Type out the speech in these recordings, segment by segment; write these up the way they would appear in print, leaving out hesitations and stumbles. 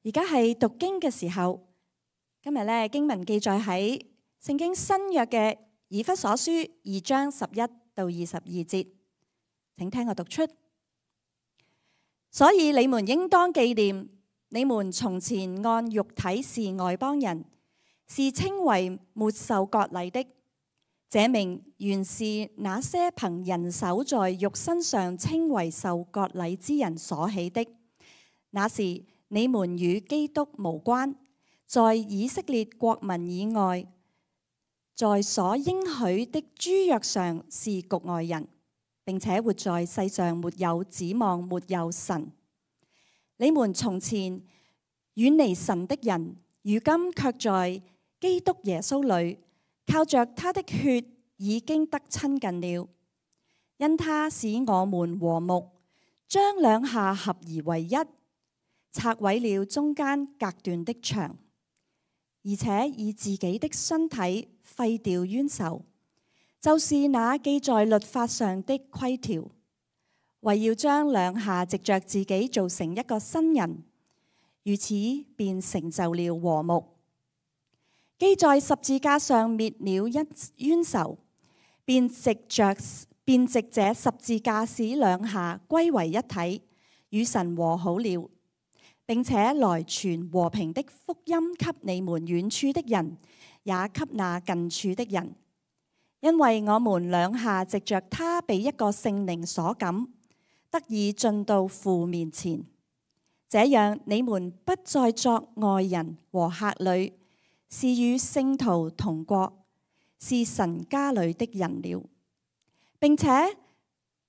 而家係讀經嘅時候，今日咧經文記載喺聖經新約嘅以弗所書2章11到22節，請聽我讀出。所以你們應當紀念，你們從前按肉體是外邦人，是稱為沒受割禮的。這名原是那些憑人手在肉身上稱為受割禮之人所起的。那時你們與基督無關，在以色列國民以外，在所應許的諸約上是局外人，並且活在世上沒有指望，沒有神。你們從前遠離神的人，如今卻在基督耶穌裏，靠着他的血已經得親近了，因他使我們和睦，將兩下合而為一，拆毀了中間隔斷的牆，而且以自己的身體廢掉冤仇，就是那記在律法上的規條，為要將兩下藉着自己造成一個新人，如此便成就了和睦。既在十字架上滅了一冤仇，便藉這十字架使兩下歸為一體，與神和好了，並且來傳和平的福音給你們遠處的人，也給那近處的人。因為我們兩下藉着他被一個聖靈所感，得以進到父面前，這樣你們不再作外人和客旅，是與聖徒同國，是神家裏的人了，並且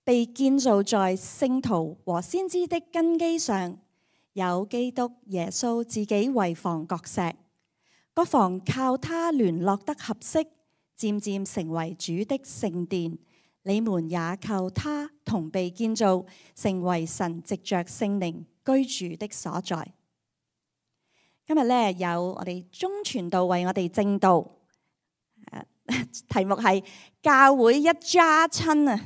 被建造在聖徒和先知的根基上，有基督耶穌自己為房角石，各房靠他聯絡得合適，漸漸成為主的聖殿。你們也靠他同被建造，成為神藉着聖靈居住的所在。今日咧有我哋鐘傳道為我哋證道，題目係教會一家親啊！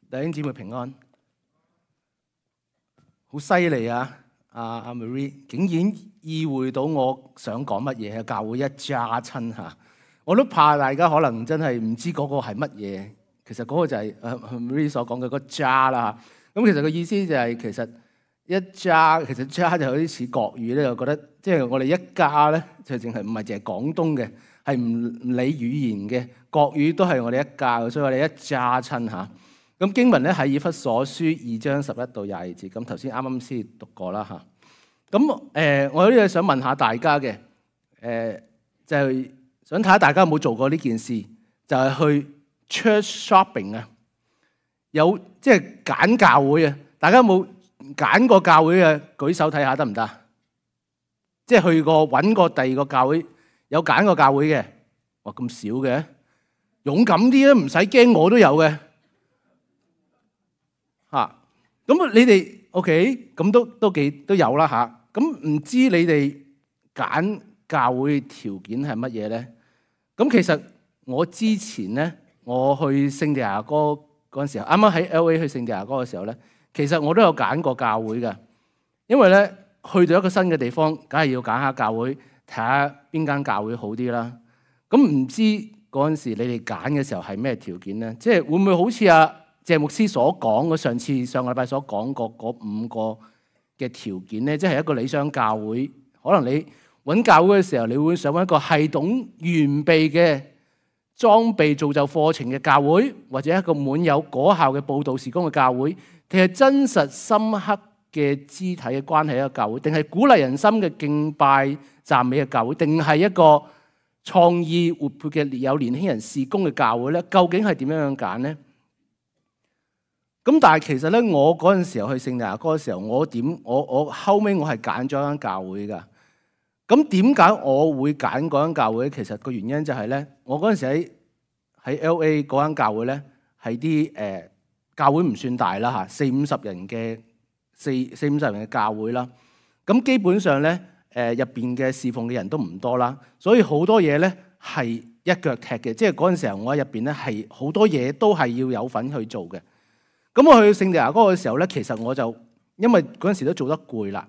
弟兄姊妹平安，好犀利啊！阿 Marie 竟然意會到我想講乜嘢，教會一家親嚇，我都怕大家可能真係唔知嗰個係乜嘢。其實嗰個就係Marie 所講嘅嗰家啦。咁其實個意思就係其實一家，其實家就有啲似國語咧，我覺得即係我哋一家咧就淨係唔係淨係廣東嘅，係唔理語言嘅國語都係我哋一家嘅，所以我哋一家親嚇。咁經文咧喺以弗所書2章11到22節，咁頭先啱啱先讀過啦嚇。咁我有啲嘢想問下大家嘅，就係想睇下大家有冇做過呢件事，就係去 church shopping 啊，有即係揀教會啊。大家有冇揀過教會嘅？舉手睇下得唔得？即係去過揾過第二個教會，有揀過教會嘅？哇，咁少嘅，勇敢啲啊，唔使驚，我都有嘅。嚇，咁你哋 OK，咁都有啦嚇。咁唔知你哋揀教會條件係乜嘢咧？咁其實我之前咧，我去聖地亞哥嗰陣時候，啱啱喺 LA 去聖地亞哥嘅時候咧，其實我都有揀過教會嘅。因為咧去到一個新嘅地方，梗係要揀下教會，睇下邊間教會好啲啦。咁唔知嗰陣時你哋揀嘅時候係咩條件咧？即係會唔會好似阿謝牧師所講嘅上個禮拜所講過嗰5個嘅條件咧？即係一個理想教會，可能你揾教會嘅時候，你會想揾一個系統完備嘅裝備造就課程嘅教會，或者一個滿有果效嘅佈道事工嘅教會，定係真實深刻嘅肢體嘅關係一個教會，定係鼓勵人心嘅敬拜讚美嘅教會，定係一個創意活潑嘅有年輕人事工嘅教會咧？究竟係點樣揀咧？咁但係其實咧，我嗰陣時候去聖地亞哥嘅時候，我後尾我係揀咗一間教會㗎。咁點解我會揀嗰間教會？其實個原因就係咧，我嗰陣時喺 LA 嗰間教會咧，係啲教會唔算大啦嚇，40-50人嘅40-50人嘅教會啦。咁基本上咧入邊嘅侍奉嘅人都唔多啦，所以好多嘢咧係一腳踢嘅，即係嗰陣時候我喺入邊咧係好多嘢都係要有份去做嘅。咁我去聖地牙哥嘅時候咧，其實我就因為嗰陣時都做得攰啦，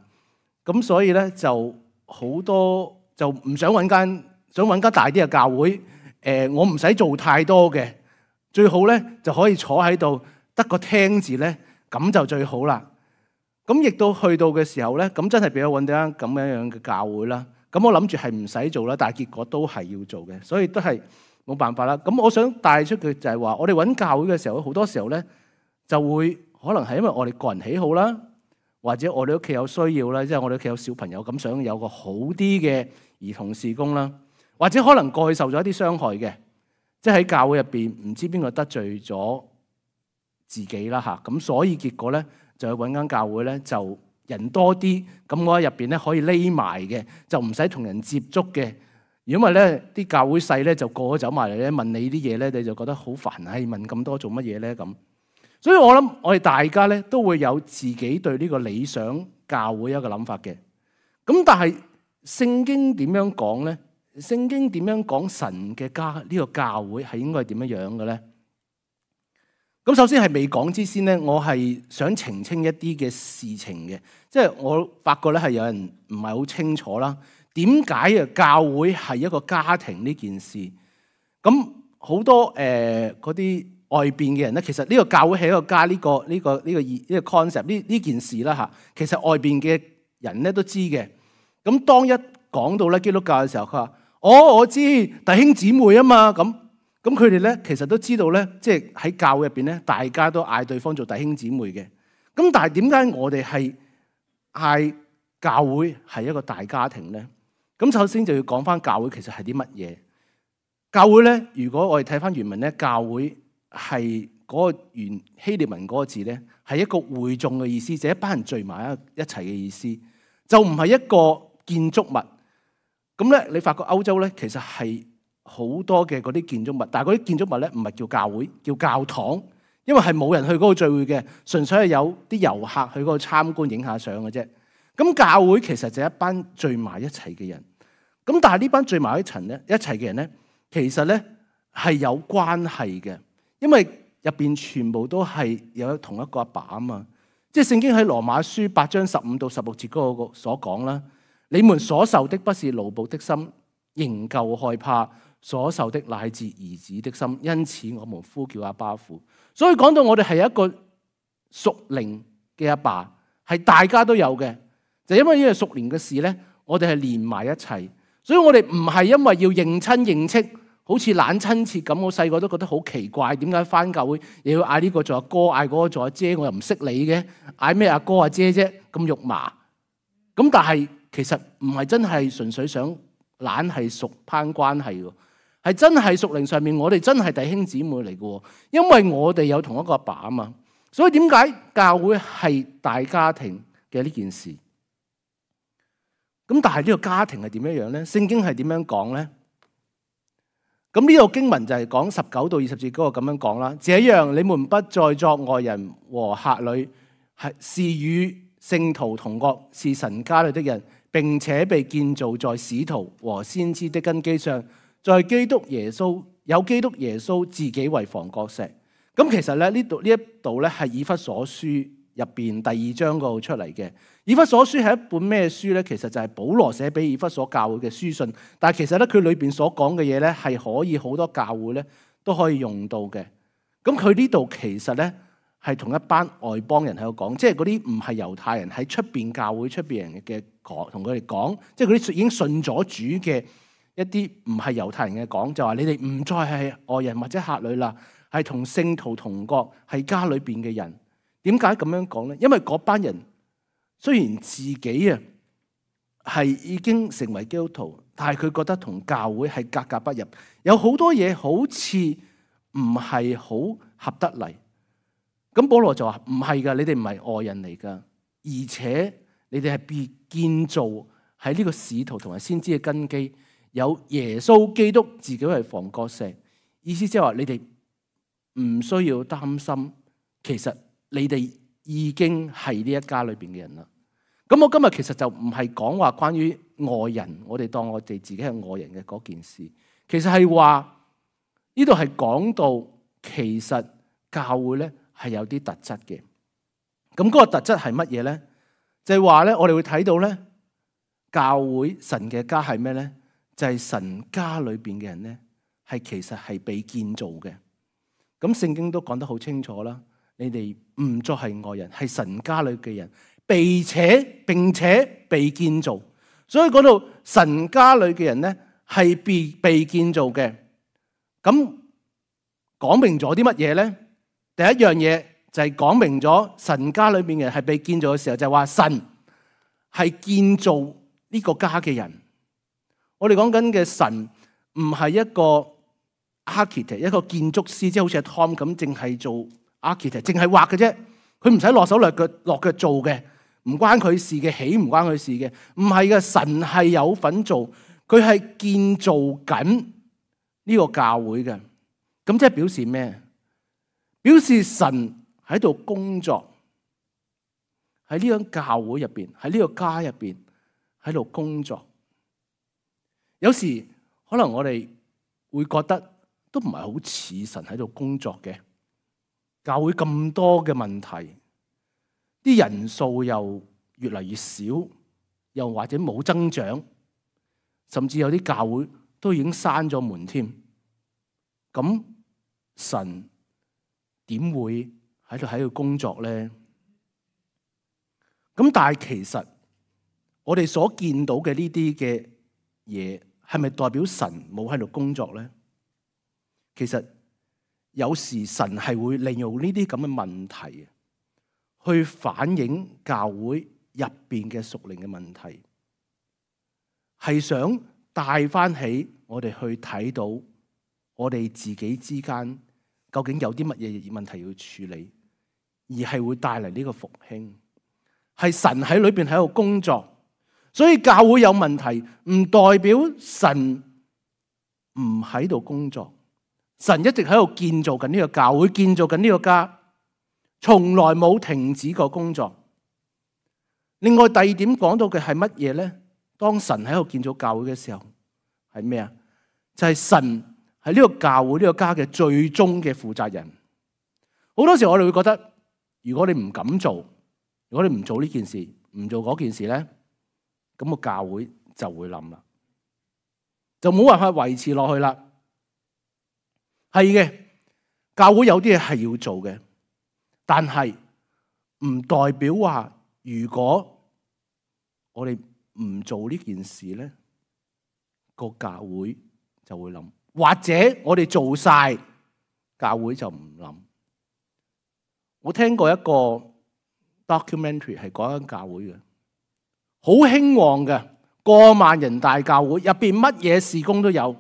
咁所以咧就好多就唔想揾間大啲嘅教會。我唔使做太多嘅，最好咧就可以坐喺度得個聽字咧，咁就最好啦。咁亦都去到嘅時候咧，咁真係俾我揾到間咁樣嘅教會啦。咁我諗住係唔使做啦，但係結果都係要做嘅，所以都係冇辦法啦。咁我想帶出嘅就係話，我哋揾教會嘅時候，好多時候咧就會可能係因為我哋個人喜好啦，或者我哋屋企有需要啦，即係我哋屋企有小朋友咁，想有個好啲嘅兒童事工啦，或者可能過去受咗一啲傷害嘅，即係喺教會入邊唔知邊個得罪咗自己啦嚇，咁所以結果咧就去揾間教會咧就人多啲，咁我喺入邊咧可以匿埋嘅，就唔使同人接觸嘅。如果唔係咧，啲教會細咧就個個走埋嚟咧問你啲嘢咧，你就覺得好煩，係問咁多做乜嘢咧咁。所以我諗我哋大家咧都會有自己對呢個理想教會一個諗法嘅。咁但係聖經點樣講咧？聖經點樣講神嘅家呢個教會係應該係點樣樣嘅咧？咁首先係未講之先咧，我係想澄清一啲嘅事情嘅，即係我發覺咧係有人唔係好清楚啦。點解啊教會係一個家庭呢件事？咁好多嗰啲外邊嘅人咧，其實呢個教會係一個家呢個 concept 呢件事啦嚇。其實外邊嘅人咧都知嘅。咁當一講到咧基督教嘅時候，佢話：我知弟兄姊妹啊嘛咁。咁佢哋咧，其實都知道咧，即係喺教會入邊咧，大家都嗌對方做弟兄姊妹嘅。咁但係點解我哋係嗌教會係一個大家庭咧？咁首先就要講翻教會其實係啲乜嘢？教會咧，如果我哋睇翻原文咧，教會係嗰個原希臘文嗰個字咧，係一個會眾嘅意思，就係一班人聚埋一齊嘅意思，就唔係一個建築物。咁咧，你發覺歐洲咧，其實係好多嘅嗰啲建築物，但係嗰啲建築物咧唔係叫教會，叫教堂，因為係冇人去嗰度聚會嘅，純粹係有啲遊客去嗰度參觀影下相嘅啫。咁教會其實就係一班聚埋一齊嘅人。咁但係呢班聚埋一齊嘅人咧，其實咧係有關係嘅，因為入邊全部都係有同一個阿爸啊嘛。即係聖經喺羅馬書8章15到16節嗰個所講啦，你們所受的不是奴僕的心，仍舊害怕。所受的乃至兒子的心，因此我們呼叫阿爸父。所以講到我哋係一個屬靈嘅阿爸，係大家都有嘅。就因為呢個屬靈嘅事咧，我哋係連埋一齊。所以我哋唔係因為要認親認戚，好似懶親切咁。我細個都覺得好奇怪，點解返教會又要嗌呢個做阿哥，嗌嗰個做阿姐？我又唔識你嘅，嗌咩阿哥阿姐啫？咁肉麻。咁但係其實唔係真係純粹想懶係屬攀關係喎。係真係屬靈上面，我哋真係弟兄姊妹嚟嘅，因為我哋有同一個阿爸啊嘛。所以點解教會係大家庭嘅呢件事？咁但係呢個家庭係點樣樣咧？聖經係點樣講咧？咁呢個經文就係講19到20節嗰個咁樣講啦。這樣你們不再作外人和客旅，是與聖徒同國，是神家裏的人，並且被建造在使徒和先知的根基上。在基督耶穌有基督耶穌自己為房角石。咁其實咧呢一度咧係以弗所書入邊第2章嗰度出嚟嘅。以弗所書係一本咩書咧？其實就係保羅寫俾以弗所教會嘅書信。但係其實咧佢裏邊所講嘅嘢咧係可以好多教會咧都可以用到嘅。咁佢呢度其實咧係同一班外邦人喺度講，即係嗰啲唔係猶太人喺出邊教會出邊人嘅講，同佢哋講，即係嗰啲已經信咗主嘅。一啲唔係猶太人嘅講，就話你哋唔再係外人或者客旅啦，係同聖徒同國，係家裏邊嘅人。點解咁樣講咧？因為嗰班人雖然自己啊係已經成為基督徒，但係佢覺得同教會係格格不入，有好多嘢好似唔係好合得嚟。咁保羅就話唔係噶，你哋唔係外人嚟噶，而且你哋係被建造喺呢個使徒同埋先知嘅根基。有耶穌基督自己係房角石，意思即係話你哋唔需要擔心，其實你哋已經係呢一家裏邊嘅人啦。咁我今日其實就唔係講話關於外人，我哋當我哋自己係外人嘅嗰件事，其實係話呢度係講到其實教會咧係有啲特質嘅。咁嗰個特質係乜嘢咧？就係話咧，我哋會睇到咧，教會神嘅家係咩咧？就係神家裏邊嘅人咧，係其實係被建造嘅。咁聖經都講得好清楚啦，你哋唔再係外人，係神家裏嘅人，並且被建造。所以嗰度神家裏嘅人咧係被建造嘅。咁講明咗啲乜嘢咧？第一樣嘢就係講明咗神家裏邊嘅人係被建造嘅時候，就係話神係建造呢個家嘅人。我哋講緊嘅神唔係一個 architect， 一個建築師，即係好似阿 Tom 咁，淨係做 architect， 淨係畫嘅啫。佢唔使落手落腳做嘅，唔關佢事嘅，起唔關佢事嘅。唔係嘅，神係有份做，佢係建造緊呢個教會嘅。咁即係表示咩？表示神喺度工作，喺呢間教會入邊，喺呢個家入邊喺度工作。有時可能我哋會覺得都唔係好似神喺度工作嘅。教會咁多嘅問題，啲人數又越嚟越少，又或者冇增長，甚至有啲教會都已經閂咗門添。咁神點會喺度工作咧？咁但係其實我哋所見到嘅呢啲嘅嘢，係咪代表神冇喺度工作咧？其實有時神係會利用呢啲咁嘅問題去反映教會入邊嘅屬靈嘅問題，係想帶翻起我哋去睇到我哋自己之間究竟有啲乜嘢問題要處理，而係會帶嚟呢個復興。係神喺裏邊喺度工作，所以教會有問題唔代表神唔喺度工作。神一直喺度建造緊呢個教會，建造緊呢個家，從來冇停止過工作。另外第二點講到嘅係乜嘢咧？當神喺度建造教會嘅時候係咩啊？就係神係呢個教會呢個家嘅最終嘅負責人。好多時我哋會覺得，如果你唔敢做，如果你唔做呢件事，唔做嗰件事咧，咁個教會就會冧啦，就冇辦法維持落去啦。係嘅，教會有啲嘢係要做嘅，但係唔代表話如果我哋唔做呢件事咧，個教會就會冧，或者我哋做晒，教會就唔冧。我聽過一個 documentary 係講緊教會嘅，好興旺嘅，過萬人大教會，入邊乜嘢事工都有。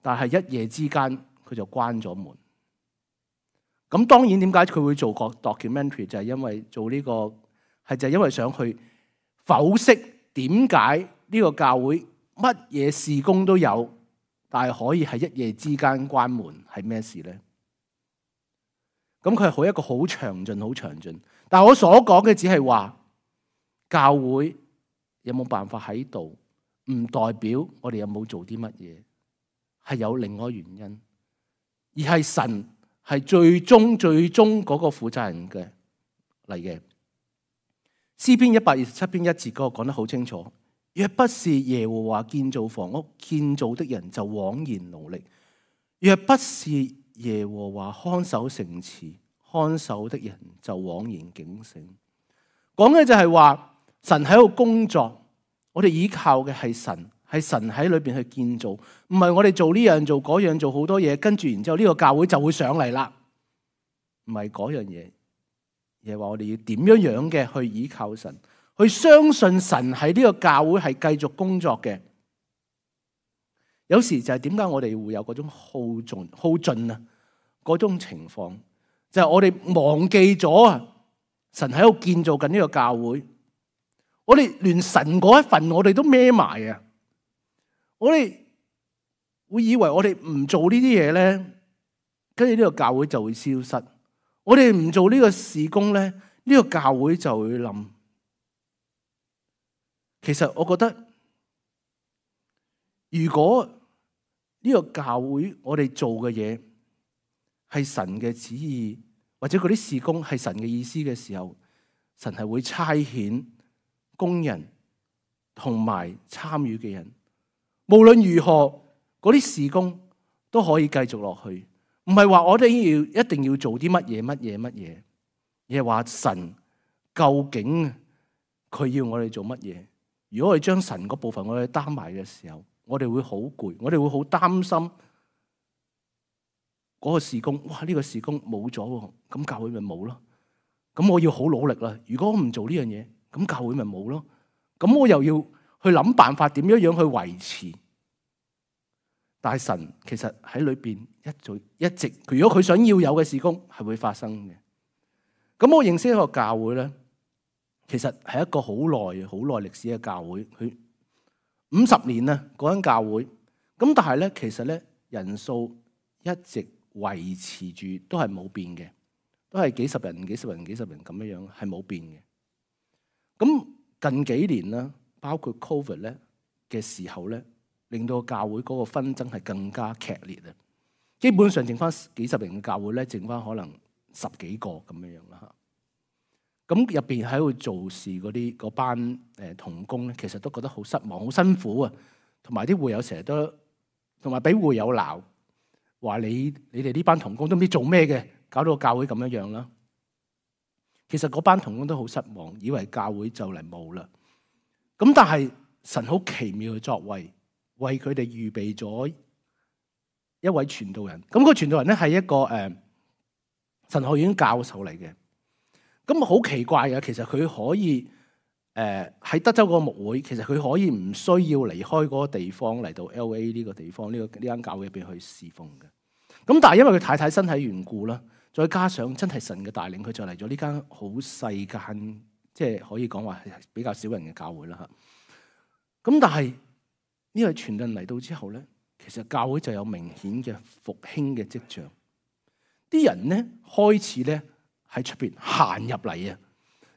但係一夜之間佢就關咗門。咁當然點解佢會做個 documentary 就係因為做呢個就係因為想去剖析點解呢個教會乜嘢事工都有，但係可以喺一夜之間關門，係咩事咧？咁佢係一個好詳盡。但係我所講嘅只係話教會有冇辦法喺度，唔代表我哋有冇做啲乜嘢。係有另外原因，而係神係最終嗰個負責人嘅嚟嘅。詩篇127篇1節嗰個講得好清楚，若不是耶和華建造房屋，建造的人就枉然勞力；若不是耶和華看守城池，看守的人就枉然警醒。講嘅就係話神喺度工作，我哋依靠嘅係神。係神喺裏邊去建造，唔係我哋做呢樣做嗰樣做好多嘢，跟住然之後呢個教會就會上嚟啦。唔係嗰樣嘢，而係話我哋要點樣嘅去依靠神，去相信神喺呢個教會係繼續工作嘅。有時就係點解我哋會有嗰種耗盡啊嗰種情況，就係我哋忘記咗啊神喺度建造緊呢個教會，我哋連神嗰一份我哋都孭埋啊！我哋會以為我哋唔做呢啲嘢咧，跟住呢個教會就會消失。我哋唔做呢個事工咧，呢個教會就會冧。其實我覺得，如果呢個教會我哋做嘅嘢係神嘅旨意，或者嗰啲事工係神嘅意思嘅時候，神係會差遣工人同埋參與嘅人。無論如何，嗰啲事工都可以繼續落去。唔係話我哋一定要做啲乜嘢，而係話神究竟佢要我哋做乜嘢。如果我哋將神嗰部分我哋擔埋嘅時候，我哋會好攰，我哋會好擔心嗰個事工。哇！呢個事工冇咗，咁教會咪冇咯？咁我要好努力啦。如果我唔做呢樣嘢，咁教會咪冇咯？咁我又要去諗辦法點樣去維持。但係神其實喺裏邊一直，如果佢想要有嘅事工係會發生嘅。咁我認識一個教會咧，其實係一個好耐歷史嘅教會，佢50年啦嗰間教會。咁但係咧，其實咧人數一直維持住都係冇變嘅，都係幾十人咁樣，係冇變嘅。咁近幾年啦，包括 Covid 咧嘅時候咧，令到教會嗰個紛爭係更加劇烈啊！基本上剩翻幾十人嘅教會咧，剩翻可能10幾個咁樣啦嚇。咁入邊喺度做事嗰班同工咧，其實都覺得好失望、好辛苦啊。同埋啲會友成日都，同埋俾會友鬧，話你哋呢班同工都唔知做咩嘅，搞到個教會咁樣啦。其實嗰班同工都好失望，以為教會就嚟冇啦。咁但係神好奇妙嘅作為，為佢哋預備咗一位傳道人。咁個傳道人咧係一個神學院教授嚟嘅。咁好奇怪嘅，其實佢可以喺德州嗰個牧會，其實佢可以唔需要離開嗰個地方嚟到 LA 呢個地方呢間教會入邊去侍奉嘅。咁但係因為佢太太身體緣故啦，再加上真係神嘅帶領，佢就嚟咗呢間好細間，即係可以講話係比較少人嘅教會啦嚇。咁但係呢個傳道人嚟到之後咧，其實教會就有明顯嘅復興嘅跡象。啲人咧開始咧喺出邊行入嚟啊！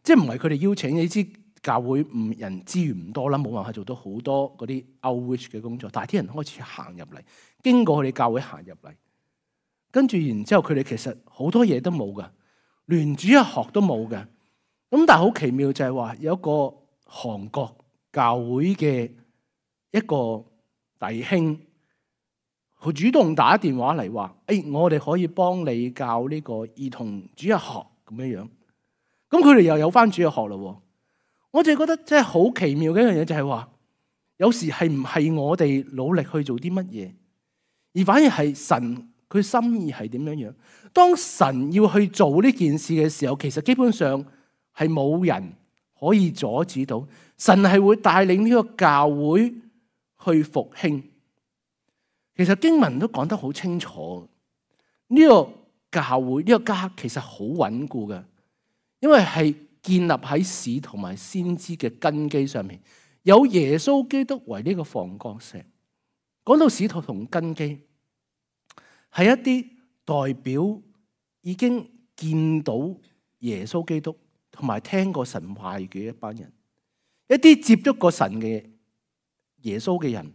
即係唔係佢哋邀請，你知教會人資源唔多啦，冇辦法做到好多嗰啲 outreach 嘅工作。但係啲人開始行入嚟，經過佢哋教會行入嚟，跟住然之後佢哋其實好多嘢都冇噶，連主日學都冇嘅。咁但係好奇妙就係話有一個韓國教會嘅一個弟兄，佢主動打電話嚟話：我哋可以幫你教呢個兒童主日學咁樣樣。咁佢哋又有翻主日學咯。我就覺得真係好奇妙嘅一樣嘢，就係話有時係唔係我哋努力去做啲乜嘢，而反而係神佢心意係點樣樣。當神要去做呢件事嘅時候，其實基本上係冇人可以阻止到。神係會帶領呢個教會去復興。其實經文都講得好清楚，呢個教會呢個家其實好穩固嘅，因為係建立喺使徒同埋先知嘅根基上面，有耶穌基督為呢個房角石。講到使徒同根基，係一啲代表已經見到耶穌基督同埋聽過神話嘅一班人，一啲接觸過神嘅耶穌嘅人。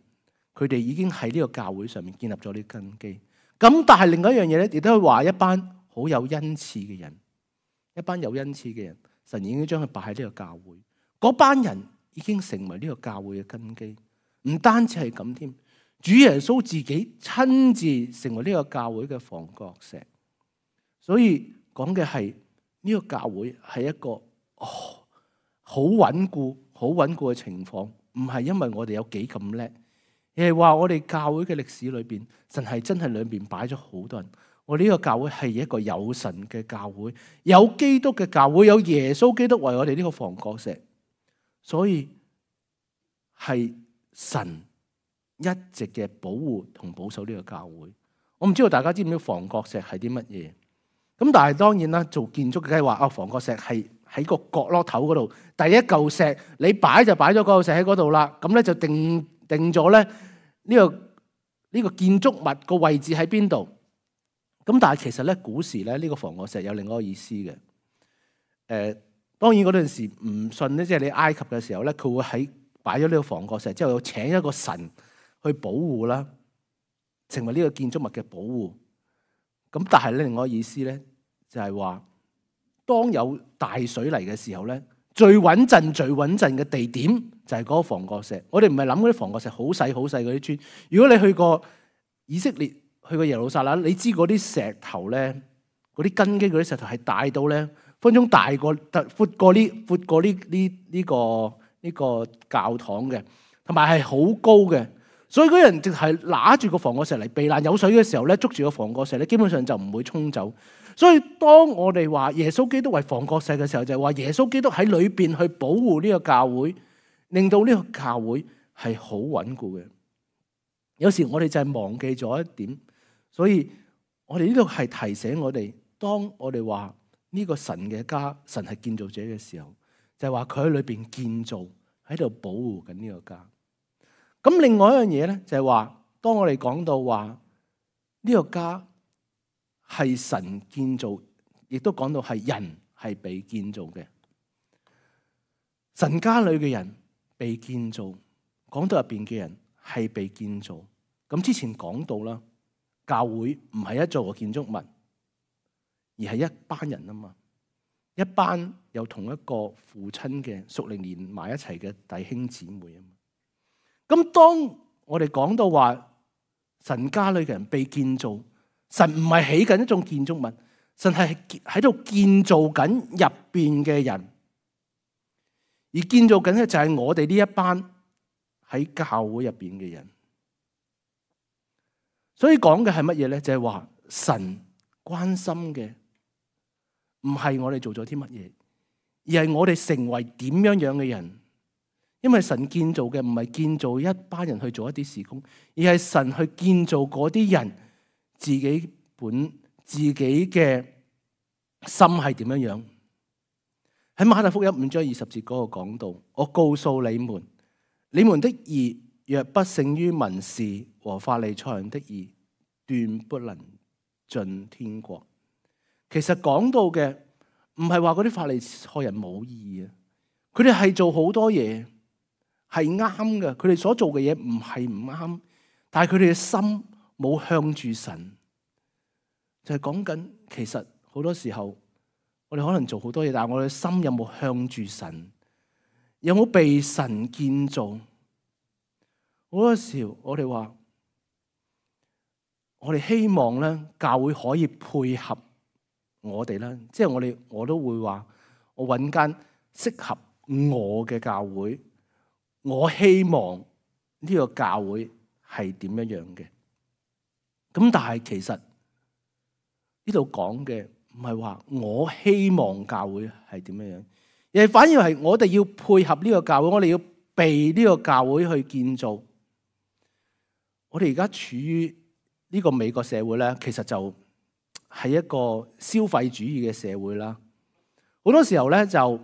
佢哋已經喺呢個教會上面建立咗呢個根基。咁但係另外一樣嘢咧，亦都係話一班好有恩賜嘅人，一班有恩賜嘅人，神已經將佢擺喺呢個教會。嗰班人已經成為呢個教會嘅根基。唔單止係咁添，主耶穌自己親自成為呢個教會嘅房角石。所以講嘅係呢個教會係一個好穩固嘅情況，唔係因為我哋有幾咁叻。而係話我哋教會嘅歷史裏邊，神係真係裏邊擺咗好多人。我哋呢個教會係一個有神嘅教會，有基督嘅教會，有耶穌基督為我哋呢個房角石。所以係神一直嘅保護同保守呢個教會。我唔知道大家知唔知房角石係啲乜嘢？咁但係當然啦，做建築嘅梗係話房角石係喺個角落頭嗰度，第一嚿石你擺就擺咗嗰嚿石喺嗰度啦。咁咧就定咗咧。呢個建築物個位置喺邊度？咁但係其實咧，古時咧呢個房角石有另外一個意思嘅。當然嗰陣時唔信咧，即係你埃及嘅時候咧，佢會喺擺咗呢個房角石之後，請一個神去保護啦。成為呢個建築物嘅保護。咁但係咧，另外一個意思咧就係話，當有大水嚟嘅時候咧，最穩陣嘅地點就係嗰個防角石。我哋唔係諗嗰啲防角石好細嗰啲磚。如果你去過以色列，去過耶路撒冷，你知嗰啲石頭咧，嗰啲根基嗰啲石頭係大到咧，分鐘大過闊過呢個教堂嘅，同埋係好高嘅。所以嗰啲人淨係拿住個防角石嚟避難，有水嘅時候咧，捉住個防角石咧，基本上就唔會沖走。所以當我哋話耶穌基督為防角石嘅時候，就係話耶穌基督喺裏邊去保護呢個教會，令到呢個教會係好穩固嘅。有時我哋就係忘記咗一點，所以我哋呢度係提醒我哋，當我哋話呢個神嘅家，神係建造者嘅時候，就係話佢喺裏邊建造，喺度保護緊呢個家。咁另外一樣嘢咧，就係話，當我哋講到話呢個家係神建造，亦都講到係人係被建造嘅。神家裏嘅人被建造，講到入邊嘅人係被建造。咁之前講到啦，教會唔係一座建築物，而係一班人啊嘛，一班有同一個父親嘅屬靈連埋一齊嘅弟兄姊妹啊嘛。咁當我哋講到話神家裏嘅人被建造，神唔係起緊一種建築物，神係喺度建造緊入邊嘅人，而建造緊嘅就係我哋呢一班喺教會入邊嘅人。所以講嘅係乜嘢咧？就係話神關心嘅唔係我哋做咗啲乜嘢，而係我哋成為點樣樣嘅人。因為神建造嘅唔係建造一班人去做一啲事工，而係神去建造嗰啲人自己嘅心係點樣樣。喺馬太福音5章20節嗰個講到，我告訴你們，你們的義若不勝於文士和法利賽人的義，斷不能進天國。其實講到嘅唔係話嗰啲法利賽人冇義啊，佢哋係做好多嘢。係啱嘅，佢哋所做嘅嘢唔係唔啱，但係佢哋嘅心冇向住神，就係講緊其實好多時候我哋可能做好多嘢，但係我哋嘅心有冇向住神，有冇被神建造？好多時候我哋話，我哋希望咧教會可以配合我哋啦，即係我都會話，我揾間適合我嘅教會。我希望呢個教會係點樣樣嘅？咁但係其實呢度講嘅唔係話我希望教會係點樣樣，而係反而係我哋要配合呢個教會，我哋要被呢個教會去建造。我哋而家處於呢個美國社會咧，其實就係一個消費主義嘅社會啦。好多時候咧就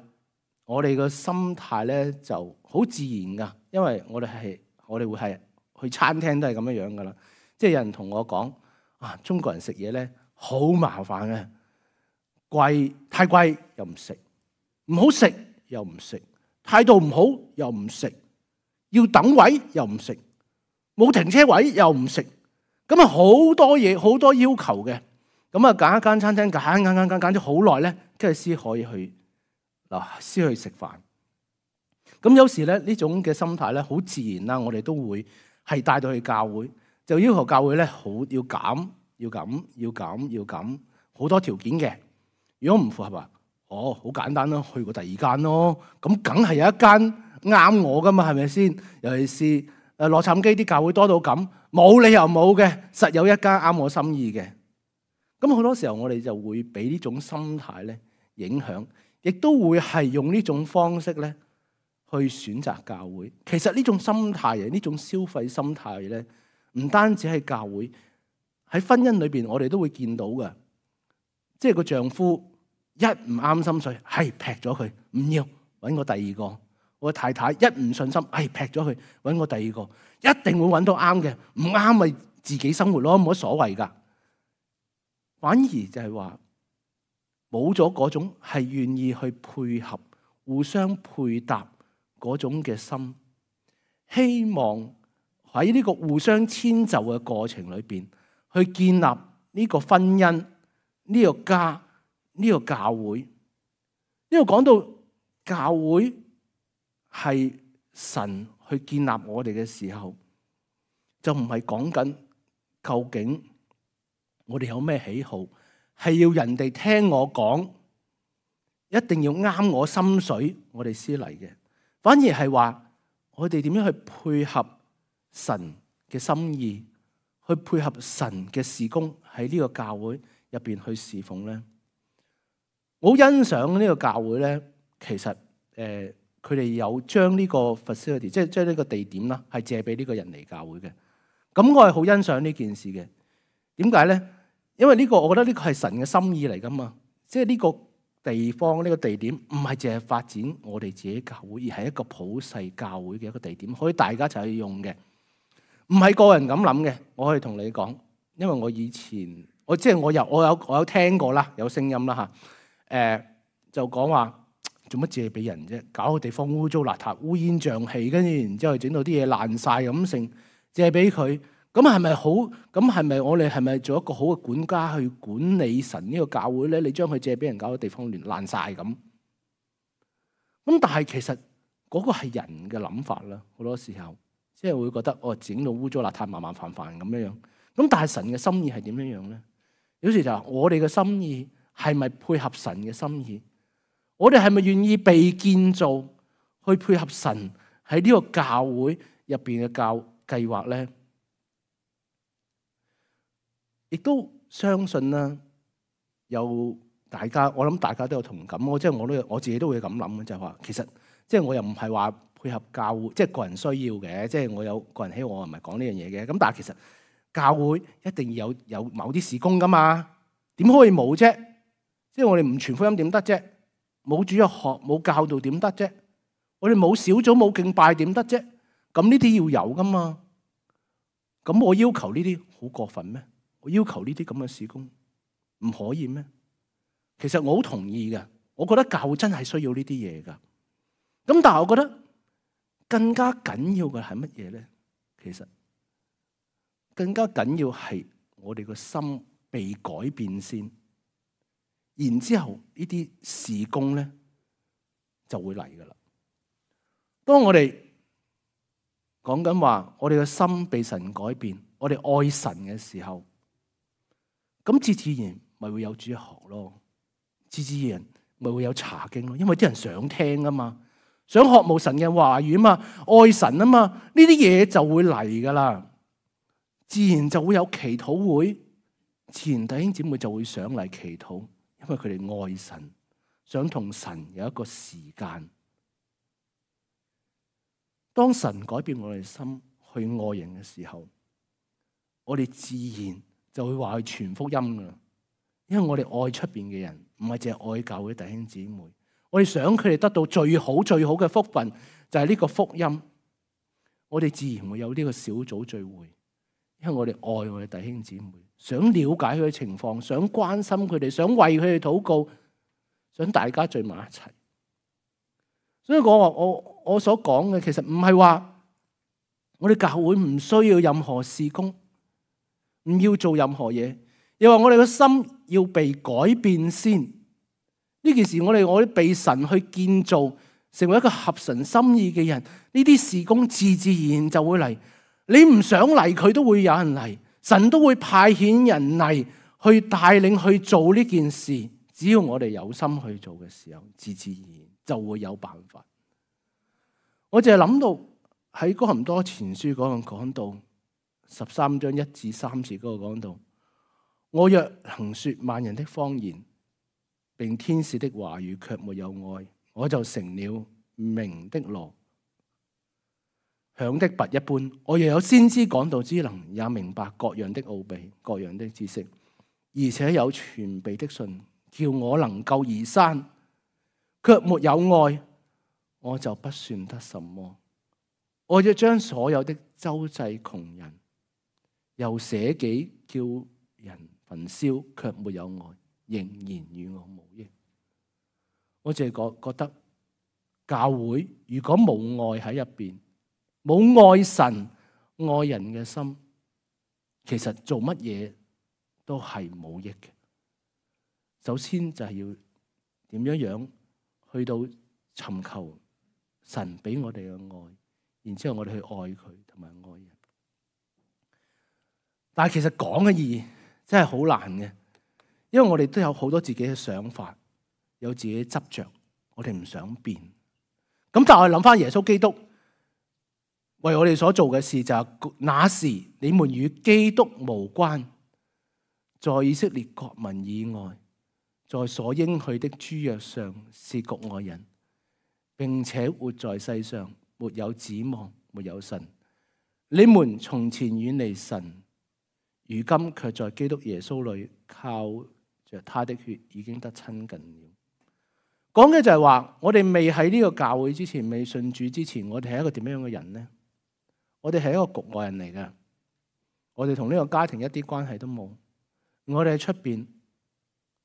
我哋個心態咧就好自然噶，因為我哋會係去餐廳都係咁樣樣噶啦。即係有人同我講啊，中國人食嘢咧好麻煩嘅，貴太貴又唔食，唔好食又唔食，態度唔好又唔食，要等位又唔食，冇停車位又唔食，咁啊好多嘢好多要求嘅，咁啊揀一間餐廳揀咗好耐咧，跟住先可以去。先去食飯，咁有時咧呢種嘅心態咧好自然啦，我哋都會係帶到去教會，就要求教會咧好要減，好多條件嘅。如果唔符合啊，好簡單咯，去過第二間咯，咁梗係有一間啱我噶嘛，係咪先？尤其是洛杉磯啲教會多到咁，冇理由冇嘅，實有一間啱我心意嘅。咁好多時候我哋就會俾呢種心態咧影響。亦都會係用呢種方式咧去選擇教會。其實呢種心態啊，呢種消費心態咧，唔單止係教會，喺婚姻裏邊我哋都會見到嘅。即係個丈夫一唔啱心水，係劈咗佢，唔要揾個第二個。我太太一唔順心，係劈咗佢，揾個第二個，一定會揾到啱嘅，唔啱咪自己生活咯，冇乜所謂噶。反而就係話，冇咗嗰種係願意去配合、互相配搭嗰種嘅心，希望喺呢個互相遷就嘅過程裏邊，去建立呢個婚姻、呢個家、呢個教會。呢度講到教會係神去建立我哋嘅時候，就唔係講緊究竟我哋有咩喜好，係要人哋聽我講，一定要啱我心水，我哋先嚟嘅。反而係話我哋點樣去配合神嘅心意，去配合神嘅事工喺呢個教會入邊去侍奉咧。我好欣賞呢個教會咧，其實佢哋有將呢個 facility， 即係將呢個地點啦，係借俾呢個人嚟教會嘅。咁我係好欣賞呢件事嘅。點解咧？因為呢個我覺得呢個係神嘅心意嚟噶嘛。即係呢個地方，呢個地點唔係淨係發展我哋自己教會，而係一個普世教會嘅一個地點，可以大家一齊去用嘅。唔係個人咁諗嘅，我可以同你講，因為我以前我有聽過啦，有聲音啦嚇，就講話做乜借俾人啫？搞個地方污糟邋遢、烏煙瘴氣，跟住然之後整到啲嘢爛晒咁成，借俾佢，咁係咪好？咁係咪我哋係咪做一個好嘅管家去管理神呢個教會咧？你將佢借俾人，搞個地方亂爛晒咁，咁但係其實嗰個係人嘅諗法啦，好多時候。即係會覺得整到污糟邋遢、麻麻煩煩咁樣樣。咁但係神嘅心意係點樣樣咧？有時就係我哋嘅心意係咪配合神嘅心意？我哋係咪願意被建造去配合神喺呢個教會入邊嘅教計劃咧？亦都相信啦，有大家，我諗大家都有同感。我自己都會咁諗嘅，就係話其實即係我又唔係話配合教會，即係個人需要嘅，即係我有個人喜好，我唔係講呢樣嘢嘅。咁但係其實教會一定要有某啲事工噶嘛，點可以冇啫？即係我哋唔傳福音點得啫？冇主日學冇教導點得啫？我哋冇小組冇敬拜點得啫？咁呢啲要有噶嘛？咁我要求呢啲好過分咩？我要求呢啲咁嘅事工唔可以咩？其實我好同意嘅，我覺得教會真係需要呢啲嘢噶。咁但係我覺得更加緊要嘅係乜嘢咧？其實更加緊要係我哋個心被改變先，然之後呢啲事工咧就會嚟噶啦。當我哋講緊話，我哋個心被神改變，我哋愛神嘅時候，咁自然咪會有主日學咯，自然咪會有查經咯，因為啲人想聽啊嘛。想學慕神嘅話語啊嘛，愛神啊嘛，呢啲嘢就會嚟噶啦，自然就會有祈禱會，自然弟兄姊妹就會上嚟祈禱，因為佢哋愛神，想同神有一個時間。當神改變我哋心去愛人嘅時候，我哋自然就會話去傳福音噶啦，因為我哋愛出邊嘅人，唔係淨係愛教會弟兄姊妹。我哋想佢哋得到最好最好嘅福分，就係呢個福音。我哋自然會有呢個小組聚會，因為我哋愛我哋弟兄姊妹，想了解佢嘅情況，想關心佢哋，想為佢哋禱告，想大家聚埋一齊。所以我所講嘅其實唔係話我哋教會唔需要任何事工，唔要做任何嘢，又話我哋嘅心要被改變先。呢件事我哋被神去建造，成為一個合神心意嘅人，呢啲事工自然就會嚟。你唔想嚟，佢都會有人嚟，神都會派遣人嚟去帶領去做呢件事。只要我哋有心去做嘅時候，自然就會有辦法。我淨係諗到喺哥林多前書嗰度講到13章1至3節嗰度講到，我若行說萬人的方言，並天使的話語卻沒有愛，我就成了鳴的鑼，響的鈸一般。我又有先知講道之能，也明白各樣的奧秘、各樣的知識，而且有全備的信，叫我能夠移山，卻沒有愛，我就不算得什麼。我要將所有的周濟窮人，又捨己叫人焚燒，卻沒有愛，仍然與我無益。我淨係覺得教會如果冇愛喺入邊，冇愛神愛人嘅心，其實做乜嘢都係冇益嘅。首先就係要點樣去到尋求神俾我哋嘅愛，然之後我哋去愛佢同埋愛人。但係其實講嘅意義真係好難嘅，因為我哋都有好多自己嘅想法，有自己嘅執着，我哋唔想變。咁但係我諗翻耶穌基督為我哋所做嘅事就係，那時你們與基督無關，在以色列國民以外，在所應許的諸約上是局外人，並且活在世上沒有指望，沒有神。你們從前遠離神，如今卻在基督耶穌裏靠着他的血已經得親近了。講嘅就係話，我哋未喺呢個教會之前，未信主之前，我哋係一個點樣嘅人呢？我哋係一個局外人嚟嘅，我哋同呢個家庭一啲關係都冇。我哋喺出邊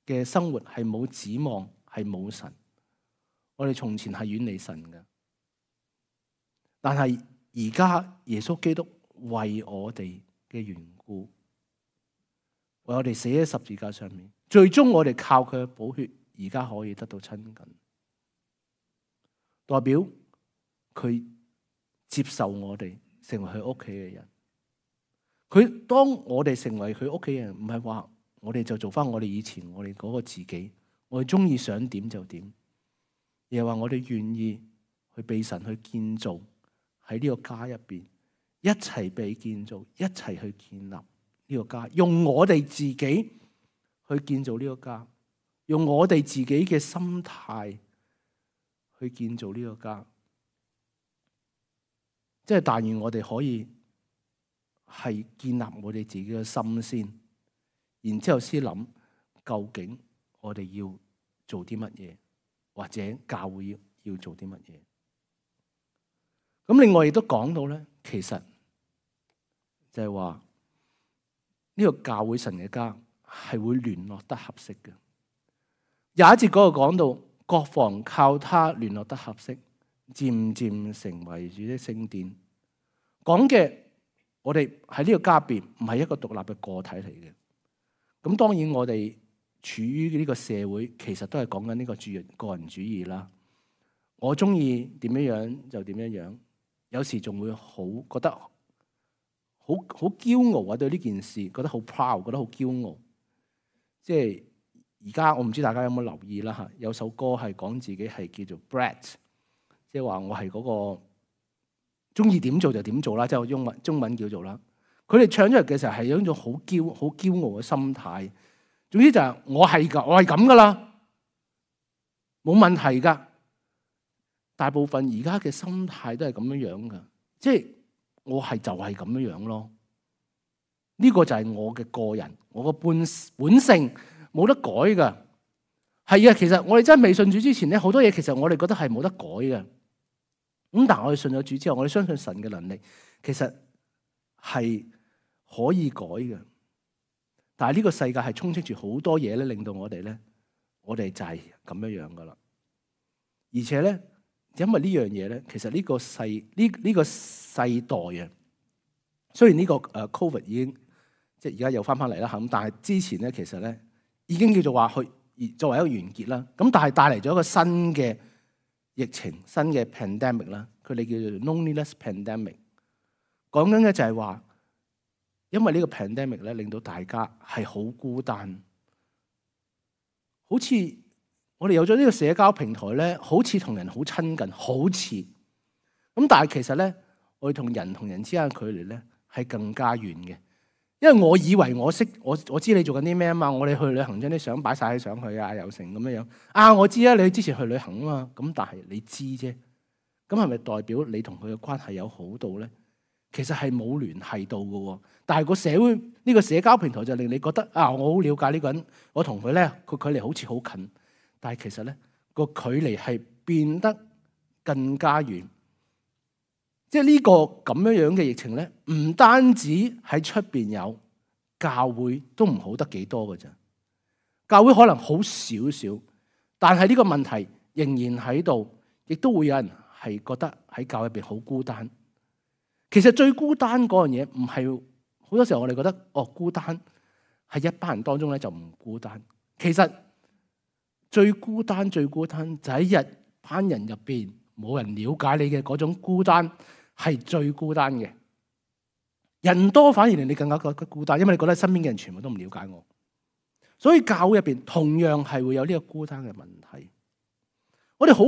嘅生活係冇指望，係冇神。我哋從前係遠離神嘅，但係而家耶穌基督為我哋嘅緣故，為我哋死喺十字架上面，最終我哋靠佢嘅寶血，而家可以得到親近，代表佢接受我哋成為佢屋企嘅人。佢當我哋成為佢屋企人，唔係話我哋就做翻我哋以前我哋嗰個自己，我哋中意想點就點，而係話我哋願意去被神去建造喺呢個家入邊，一齊被建造，一齊去建立呢個家，用我哋自己去建造呢個家，用我哋自己嘅心態去建造呢個家。即係但願我哋可以係建立我哋自己嘅心先，然之後先諗究竟我哋要做啲乜嘢，或者教會要做啲乜嘢。咁另外亦都講到咧，其實就係話呢個教會神嘅家係會聯絡得合適嘅。有一節嗰度講到，各房靠他聯絡得合適，漸漸成為主的聖殿。講嘅我哋喺呢個家入邊唔係一個獨立嘅個體嚟嘅。咁當然我哋處於呢個社會，其實都係講緊呢個個人主義啦。我中意點樣樣就點樣樣，有時仲會好覺得好驕傲啊！對呢件事覺得好 proud， 覺得好驕傲。即係而家我唔知大家有冇留意啦嚇，有首歌係講自己係叫做 Brat， 即係話我係嗰個中意點做就點做啦，即係中文叫做啦。佢哋唱出嚟嘅時候係有一種好驕傲嘅心態。總之就係我係咁噶啦，冇問題噶。大部分而家嘅心態都係咁樣樣噶，即係我係就係咁樣樣咯。呢個就係我嘅個人，我嘅本性冇得改噶。係啊，其實我哋真係未信主之前咧，好多嘢其實我哋覺得係冇得改嘅。咁但係我哋信咗主之後，我哋相信神嘅能力，其實係可以改嘅。但係呢個世界係充斥住好多嘢咧，令到我哋就係咁樣樣噶啦。而且咧，因為呢樣嘢咧，其實呢個世代啊，雖然呢個COVID 已經即係而家又翻嚟啦嚇，咁但係之前咧，其實咧已經叫做話去作為一個完結啦。咁但係帶嚟咗一個新嘅疫情，新嘅 pandemic 啦，佢哋叫做 loneliness pandemic。講緊嘅就係話，因為呢個 pandemic 咧，令到大家係好孤單，好似我哋有咗呢個社交平台咧，好似同人好親近，好似咁，但係其實咧，我哋同人之間嘅距離咧係更加遠嘅。因為我以為我知你做緊啲咩啊嘛，我哋去旅行將啲相擺晒喺上去啊，又成咁樣樣啊，我知啊，你之前去旅行啊嘛，咁但係你知啫，咁係咪代表你同佢嘅關係有好到咧？其實係冇聯繫到嘅喎，但係個社會呢個社交平台就令你覺得啊，我好了解呢個人，我同佢咧個距離好似好近，但係其實咧個距離係變得更加遠。即係呢個咁樣樣嘅疫情咧，唔單止喺出邊有，教會都唔好得幾多嘅啫。教會可能好少少，但係呢個問題仍然喺度，亦都會有人係覺得喺教會入邊好孤單。其實最孤單嗰樣嘢唔係，好多時候我哋覺得孤單係一班人當中咧就唔孤單。其實最孤單就喺一班人入邊冇人了解你嘅嗰種孤單係最孤單嘅。人多反而令你更加覺得孤單，因為你覺得身邊嘅人全部都唔了解我。所以教會入邊同樣係會有呢個孤單嘅問題。我哋好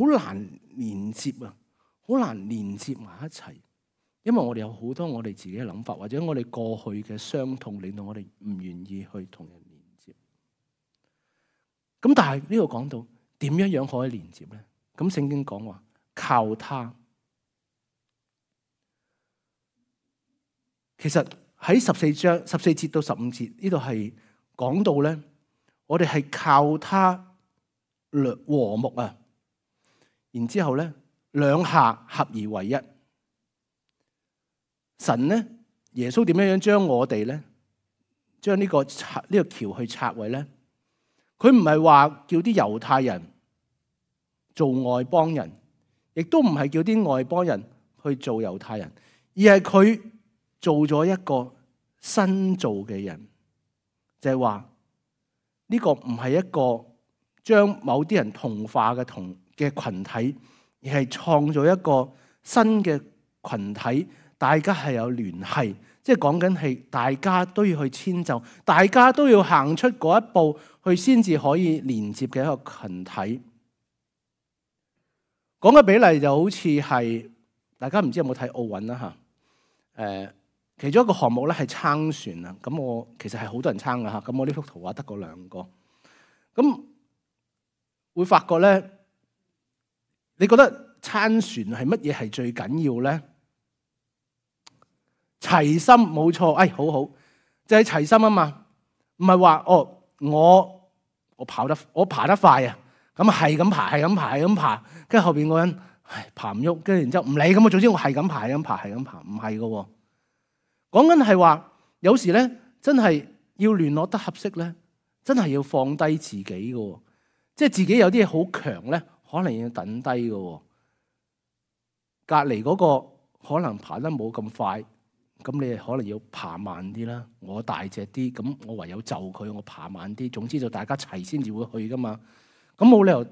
難連接啊，好難連接埋一齊，因為我哋有好多我哋自己嘅諗法，或者我哋過去嘅傷痛，令到我哋唔願意去同人連接。咁但係呢度講到點樣可以連接咧？咁聖經講話靠他。其實喺14節到15節呢度係講到咧，我哋係靠他和睦啊，然之後咧兩下合而為一。神咧，耶穌點樣將我哋咧，將呢個橋去拆毀咧？佢唔係話叫啲猶太人做外邦人，亦都唔係叫啲外邦人去做猶太人，而係佢做咗一個新造嘅人，就係話呢個唔係一個將某啲人同化嘅群體，而係創造一個新嘅群體，大家係有聯繫，即係講緊係大家都要去遷就，大家都要行出嗰一步去先至可以連接嘅一個群體。講嘅比例就好似係大家唔知有冇睇奧運啦嚇，其中一個項目咧係撐船啊，咁我其實係好多人撐噶嚇，咁我呢幅圖畫得個2個，咁會發覺咧，你覺得撐船係乜嘢係最緊要咧？齊心冇錯，好好，就係齊心啊嘛，唔係話我爬得快啊，咁係咁爬，跟住後邊嗰人爬唔喐，跟住然之後唔理咁啊，總之我係咁爬，唔係噶喎。講緊係話，有時咧真係要聯絡得合適咧，真係要放低自己嘅，即係自己有啲嘢好強咧，可能要等低嘅。隔離嗰個可能爬得冇咁快，咁你可能要爬慢啲啦。我大隻啲，咁我唯有就佢，我爬慢啲。總之就大家齊先至會去噶嘛。咁冇理由，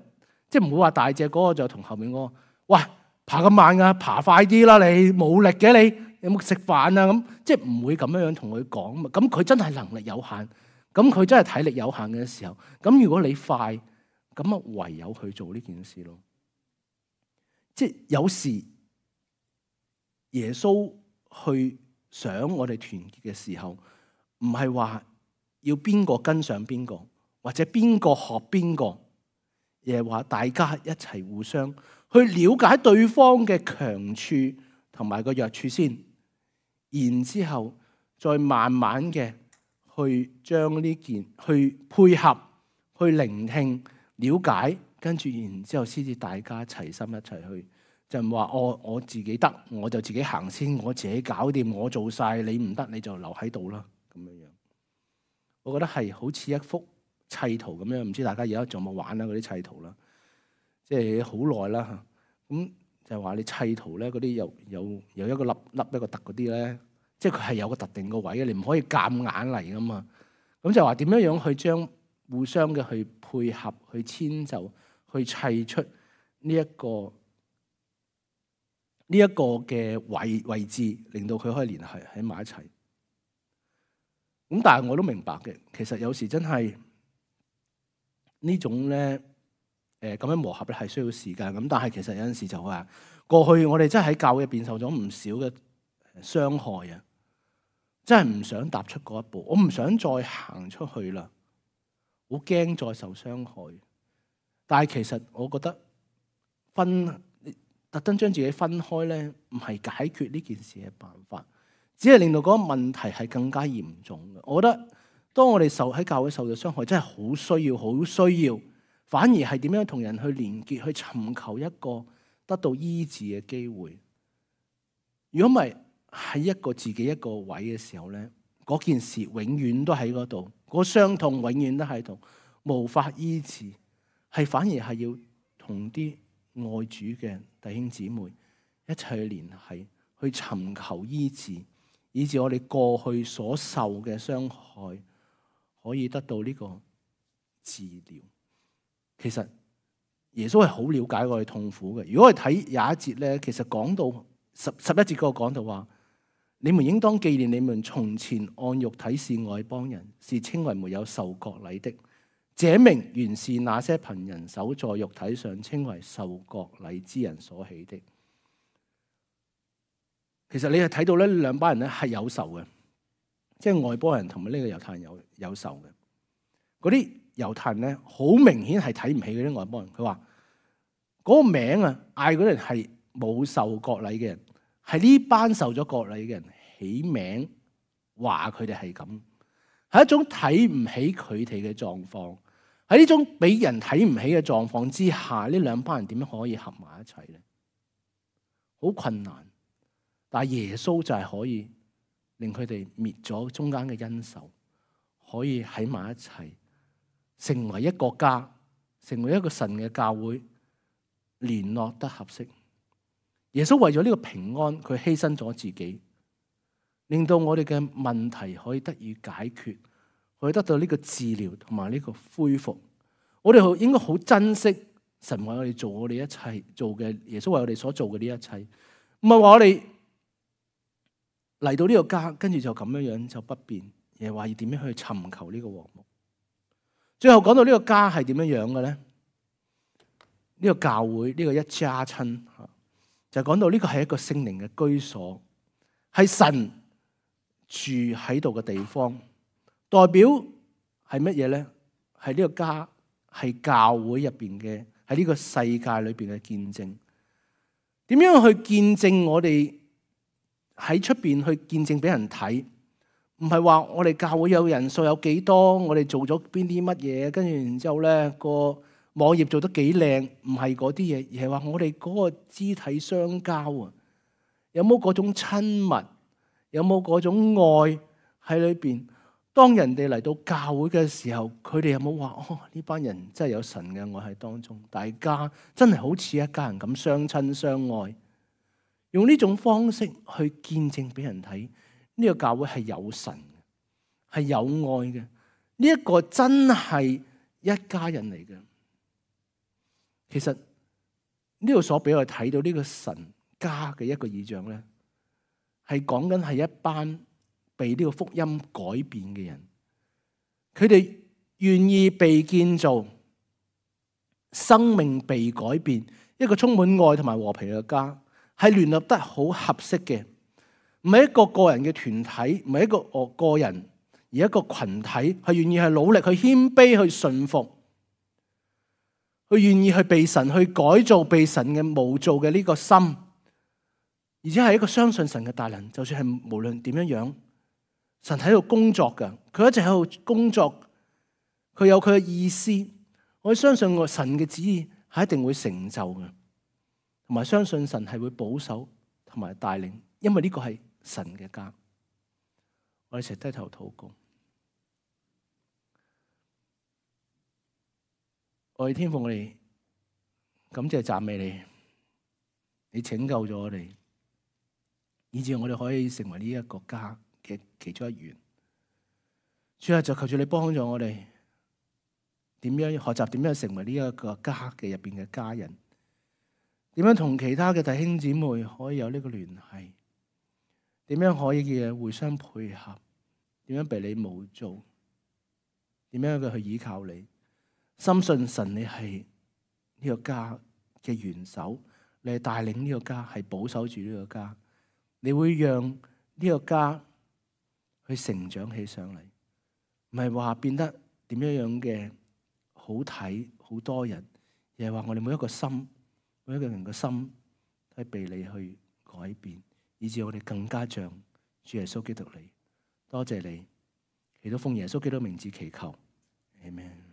即係唔會話大隻嗰個就同後面嗰個，喂，爬咁慢噶，爬快啲啦！你冇力嘅你。有冇食飯啊？咁即係唔會咁樣同佢講嘛。咁佢真係能力有限，咁佢真係體力有限嘅時候，咁如果你快，咁啊唯有去做呢件事咯。即係有時耶穌去想我哋團結嘅時候，唔係話要邊個跟上邊個，或者邊個學邊個，而係話大家一齊互相去了解對方嘅強處同埋個弱處先。然之後再慢慢嘅去將呢件去配合、去聆聽、了解，跟住然之後先至大家齊心一齊去，就唔話我自己得，我就自己行先，我自己搞掂，我做晒，你唔得你就留喺度啦咁樣樣。我覺得係好似一幅砌圖咁樣，唔知大家而家仲有冇玩啦嗰啲砌圖啦，即係好耐啦嚇咁。就係話你砌圖咧，嗰啲有一個粒一個凸嗰啲咧，即係佢係有個特定個位嘅，你唔可以夾硬嚟噶嘛。咁就話點樣去將互相嘅去配合、去遷就、去砌出呢一個嘅位置，令到佢可以聯繫喺埋一齊。咁但係我都明白嘅，其實有時真係呢種咧。咁樣磨合咧係需要時間，咁但係其實有陣時就話過去我哋真係喺教會入邊受咗唔少嘅傷害啊，真係唔想踏出嗰一步，我唔想再行出去啦，好驚再受傷害。但係其實我覺得特登將自己分開咧，唔係解決呢件事嘅辦法，只係令到嗰個問題係更加嚴重嘅。我覺得當我哋喺教會受到傷害，真係好需要。反而係點樣同人去連結，去尋求一個得到醫治嘅機會。如果唔係喺一個自己一個位嘅時候咧，嗰件事永遠都喺嗰度，嗰傷痛永遠都喺度，無法醫治。係反而係要同啲愛主嘅弟兄姊妹一齊去聯繫，去尋求醫治，以致我哋過去所受嘅傷害可以得到呢個治療。其實耶穌係好了解我哋痛苦嘅。如果我哋睇廿一節咧，其實講到十一節嗰個講到話，你們應當紀念你們從前按肉體是外邦人，是稱為沒有受割禮的。這名原是那些憑人手在肉體上稱為受割禮之人所起的。其實你係睇到呢兩班人咧係有仇嘅，即係外邦人同埋呢個猶太人有仇嘅。嗰啲猶太人咧好明顯係睇唔起嗰啲外邦人。佢話嗰個名啊，嗌嗰啲人係冇受割禮嘅人，係呢班受咗割禮嘅人起名，話佢哋係咁，係一種睇唔起佢哋嘅狀況。喺呢種俾人睇唔起嘅狀況之下，呢兩班人點樣可以合埋一齊咧？好困難。但係耶穌就係可以令佢哋滅咗中間嘅恩仇，可以喺埋一齊，成為一個家，成為一個神嘅教會，聯絡得合適。耶穌為咗呢個平安，佢犧牲咗自己，令到我哋嘅問題可以得以解決，可以得到呢個治療同埋呢個恢復。我哋應該好珍惜神為我哋做我哋一切做嘅，耶穌為我哋所做嘅呢一切，唔係話我哋嚟到呢個家，跟住就咁樣樣就不變，而係話要點樣去尋求呢個和睦。最後講到呢個家係點樣樣嘅咧？呢個教會，呢個一家親，就講到呢個係一個聖靈嘅居所，係神住喺度嘅地方。代表係乜嘢咧？係呢個家，係教會入邊嘅，喺呢個世界裏邊嘅見證。點樣去見證我哋？喺出邊去見證俾人睇，唔係話我哋教會有人數有幾多，我哋做咗邊啲乜嘢，跟住然之後咧個網頁做得幾靚，唔係嗰啲嘢，而係話我哋嗰個肢體相交啊，有冇嗰種親密，有冇嗰種愛喺裏邊？當人哋嚟到教會嘅時候，佢哋有冇話哦，呢班人真係有神嘅愛喺當中，大家真係好似一家人咁相親相愛。用呢種方式去見證俾人睇，呢個教會係有神嘅，係有愛嘅。呢一個真係一家人嚟嘅。其實呢度所俾我哋睇到呢個神家嘅一個異象咧，係講緊係一班被呢個福音改變嘅人，佢哋願意被建造，生命被改變，一個充滿愛同埋和平嘅家。係聯絡得好合適嘅，唔係一個個人嘅團體，唔係一個個人，而一個群體，係願意去努力、去謙卑、去順服，去願意去被神去改造、被神嘅模造嘅呢個心，而且係一個相信神嘅大能。就算係無論點樣樣，神喺度工作㗎，佢一直喺度工作，佢有佢嘅意思。我相信我神嘅旨意係一定會成就嘅。同埋相信神係會保守同埋帶領，因為呢個係神嘅家。我哋一齊低頭禱告。我哋天父，我哋感謝讚美你，你拯救咗我哋，以致我哋可以成為呢一個家嘅其中一員。主啊，就求住你幫助我哋，點樣學習點樣成為呢一個家嘅入邊嘅家人。點樣同其他嘅弟兄姊妹可以有呢個聯繫？點樣可以嘅互相配合？點樣被你模造？點樣嘅去依靠你？深信神你係呢個家嘅元首，你係帶領呢個家，係保守住呢個家。你會讓呢個家去成長起上嚟，唔係話變得點樣樣嘅好睇好多人，而係話我哋每一個心。每一個人嘅心都係被你去改變，以致我哋更加像主耶穌基督你。多謝你，祈禱奉耶穌基督名字祈求，阿們。